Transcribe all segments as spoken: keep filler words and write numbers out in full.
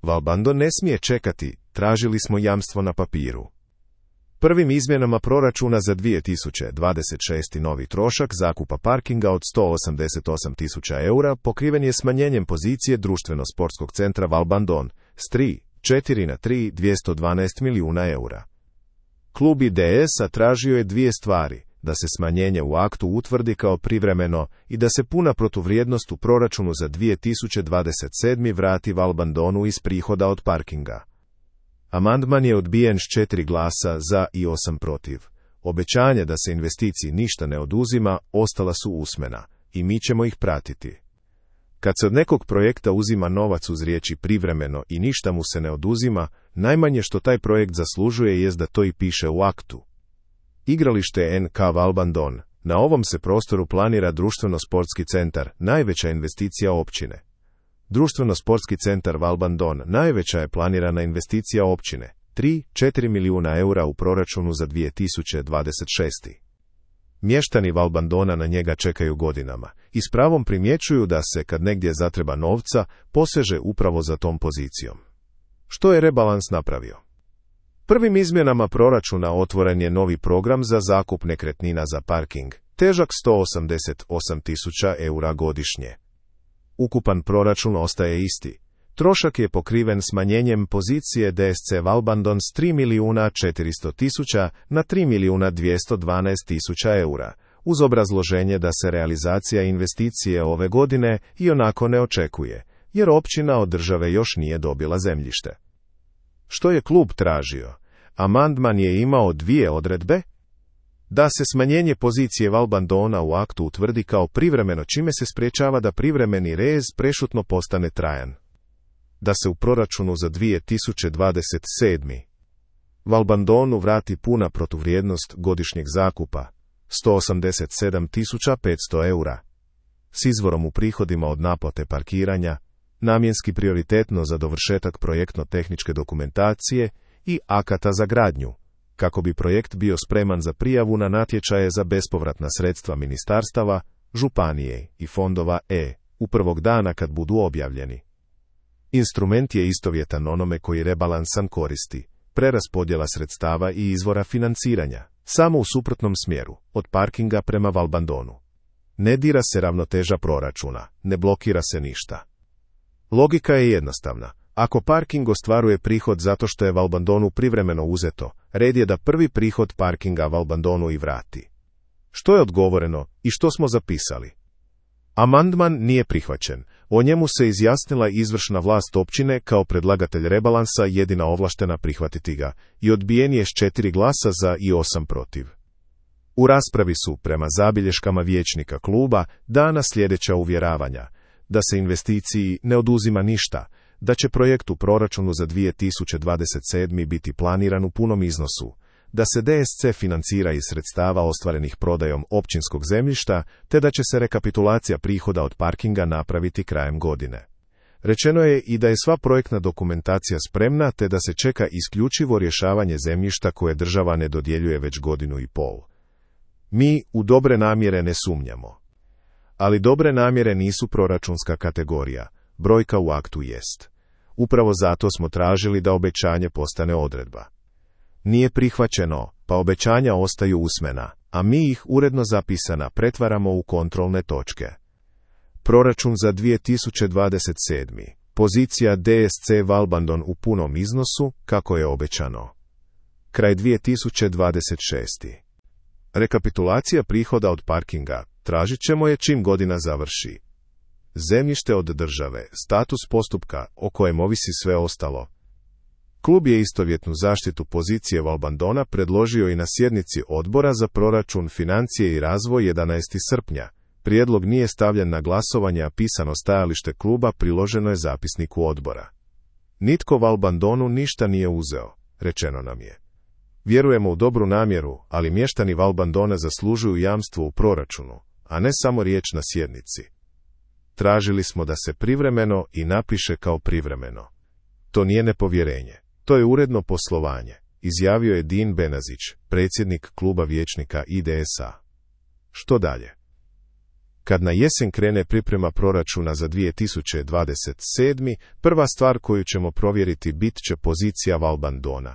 Valbandon ne smije čekati, tražili smo jamstvo na papiru. Prvim izmjenama proračuna za dvije tisuće dvadeset šeste. novi trošak zakupa parkinga od sto osamdeset osam tisuća eura pokriven je smanjenjem pozicije društveno-sportskog centra Valbandon s tri zarez četiri na tri zarez dvjesto dvanaest milijuna eura. Klub I D S-a tražio je dvije stvari, da se smanjenje u aktu utvrdi kao privremeno i da se puna protuvrijednost u proračunu za dvije tisuće dvadeset sedme. vrati Valbandonu iz prihoda od parkinga. Amandman je odbijen s četiri glasa za i osam protiv. Obećanje da se investiciji ništa ne oduzima ostala su usmena i mi ćemo ih pratiti. Kad se od nekog projekta uzima novac uz riječi privremeno i ništa mu se ne oduzima, najmanje što taj projekt zaslužuje jest da to i piše u aktu. Igralište N K Valbandon. Na ovom se prostoru planira društveno-sportski centar, najveća investicija općine. Društveno-sportski centar Valbandon najveća je planirana investicija općine, tri zarez četiri milijuna eura u proračunu za dvije tisuće dvadeset šeste. Mještani Valbandona na njega čekaju godinama i s pravom primjećuju da se, kad negdje zatreba novca, poseže upravo za tom pozicijom. Što je rebalans napravio? Prvim izmjenama proračuna otvoren je novi program za zakup nekretnina za parking, težak sto osamdeset osam tisuća eura godišnje. Ukupan proračun ostaje isti. Trošak je pokriven smanjenjem pozicije D S C Valbandon s tri milijuna četiristo tisuća na tri milijuna dvjesto dvanaest tisuća eura, uz obrazloženje da se realizacija investicije ove godine i onako ne očekuje, jer općina od države još nije dobila zemljište. Što je klub tražio? Amandman je imao dvije odredbe. Da se smanjenje pozicije Valbandona u aktu utvrdi kao privremeno, čime se sprječava da privremeni rez prešutno postane trajan. Da se u proračunu za dvije tisuće dvadeset sedme. Valbandonu vrati puna protuvrijednost godišnjeg zakupa, sto osamdeset sedam tisuća petsto eura, s izvorom u prihodima od naplate parkiranja, namjenski prioritetno za dovršetak projektno-tehničke dokumentacije i akata za gradnju, kako bi projekt bio spreman za prijavu na natječaje za bespovratna sredstva ministarstava, županije i fondova E, u prvog dana kad budu objavljeni. Instrument je istovjetan onome koji rebalansan koristi, preraspodjela sredstava i izvora financiranja, samo u suprotnom smjeru, od parkinga prema Valbandonu. Ne dira se ravnoteža proračuna, ne blokira se ništa. Logika je jednostavna. Ako parking ostvaruje prihod zato što je Valbandonu privremeno uzeto, red je da prvi prihod parkinga Valbandonu i vrati. Što je odgovoreno i što smo zapisali? Amandman nije prihvaćen. O njemu se izjasnila izvršna vlast općine kao predlagatelj rebalansa, jedina ovlaštena prihvatiti ga, i odbijen je s četiri glasa za i osam protiv. U raspravi su, prema zabilješkama vijećnika kluba, dana sljedeća uvjeravanja: da se investiciji ne oduzima ništa, da će projekt u proračunu za dvije tisuće dvadeset sedme. biti planiran u punom iznosu, da se D S C financira iz sredstava ostvarenih prodajom općinskog zemljišta, te da će se rekapitulacija prihoda od parkinga napraviti krajem godine. Rečeno je i da je sva projektna dokumentacija spremna, te da se čeka isključivo rješavanje zemljišta koje država ne dodjeljuje već godinu i pol. Mi u dobre namjere ne sumnjamo. Ali dobre namjere nisu proračunska kategorija, brojka u aktu jest. Upravo zato smo tražili da obećanje postane odredba. Nije prihvaćeno, pa obećanja ostaju usmena, a mi ih uredno zapisana pretvaramo u kontrolne točke. Proračun za dvije tisuće dvadeset sedme. Pozicija D S C Valbandon u punom iznosu, kako je obećano. Kraj dvije tisuće dvadeset šeste. Rekapitulacija prihoda od parkinga tražit ćemo je čim godina završi. Zemljište od države, status postupka o kojem ovisi sve ostalo. Klub je istovjetnu zaštitu pozicije Valbandona predložio i na sjednici Odbora za proračun, financije i razvoj jedanaestog srpnja. Prijedlog nije stavljen na glasovanje, a pisano stajalište kluba priloženo je zapisniku odbora. Nitko Valbandonu ništa nije uzeo, rečeno nam je. Vjerujemo u dobru namjeru, ali mještani Valbandona zaslužuju jamstvo u proračunu, a ne samo riječ na sjednici. Tražili smo da se privremeno i napiše kao privremeno. To nije nepovjerenje, to je uredno poslovanje, izjavio je Din Benazić, predsjednik kluba vijećnika I D S A. Što dalje? Kad na jesen krene priprema proračuna za dvije tisuće dvadeset sedmu. prva stvar koju ćemo provjeriti bit će pozicija Valbandona.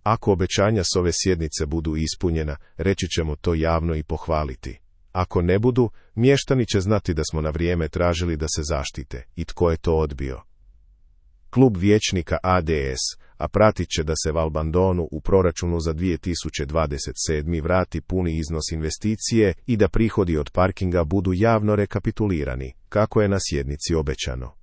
Ako obećanja s ove sjednice budu ispunjena, reći ćemo to javno i pohvaliti. Ako ne budu, mještani će znati da smo na vrijeme tražili da se zaštite i tko je to odbio. Klub vijećnika A D S, a pratit će da se Valbandonu u proračunu za dvije tisuće dvadeset sedmu. vrati puni iznos investicije i da prihodi od parkinga budu javno rekapitulirani, kako je na sjednici obećano.